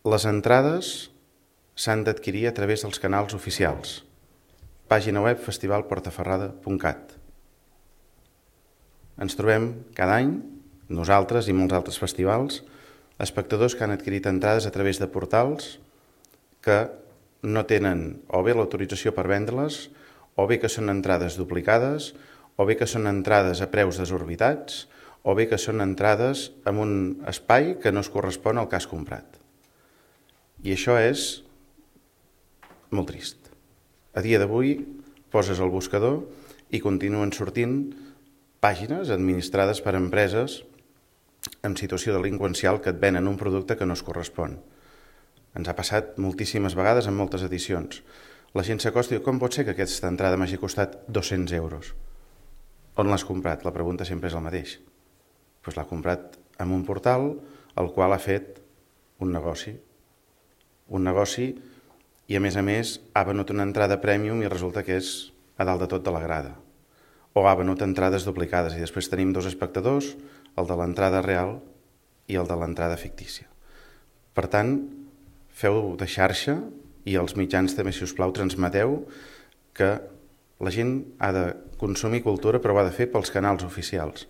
Les entrades s'han d'adquirir a través dels canals oficials. Pàgina web festivalportaferrada.cat. Ens trobem cada any, nosaltres i molts altres festivals, espectadors que han adquirit entrades a través de portals que no tenen o bé l'autorització per vendre-les, o bé que són entrades duplicades, o bé que són entrades a preus desorbitats, o bé que són entrades en un espai que no es correspon al que has comprat. I això és molt trist. A dia d'avui poses el buscador i continuen sortint pàgines administrades per empreses en situació delinqüencial que et venen un producte que no es correspon. Ens ha passat moltíssimes vegades en moltes edicions. La gent s'acosta i diu, com pot ser que aquesta entrada m'hagi costat 200 euros? On l'has comprat? La pregunta sempre és el mateix. Doncs l'ha comprat en un portal al qual ha fet un negoci. Un negoci i, a més, ha venut una entrada premium i resulta que és a dalt de tot de la grada. O ha venut entrades duplicades i després tenim dos espectadors, el de l'entrada real i el de l'entrada fictícia. Per tant, feu de xarxa i els mitjans també, si us plau, transmeteu que la gent ha de consumir cultura però ho ha de fer pels canals oficials.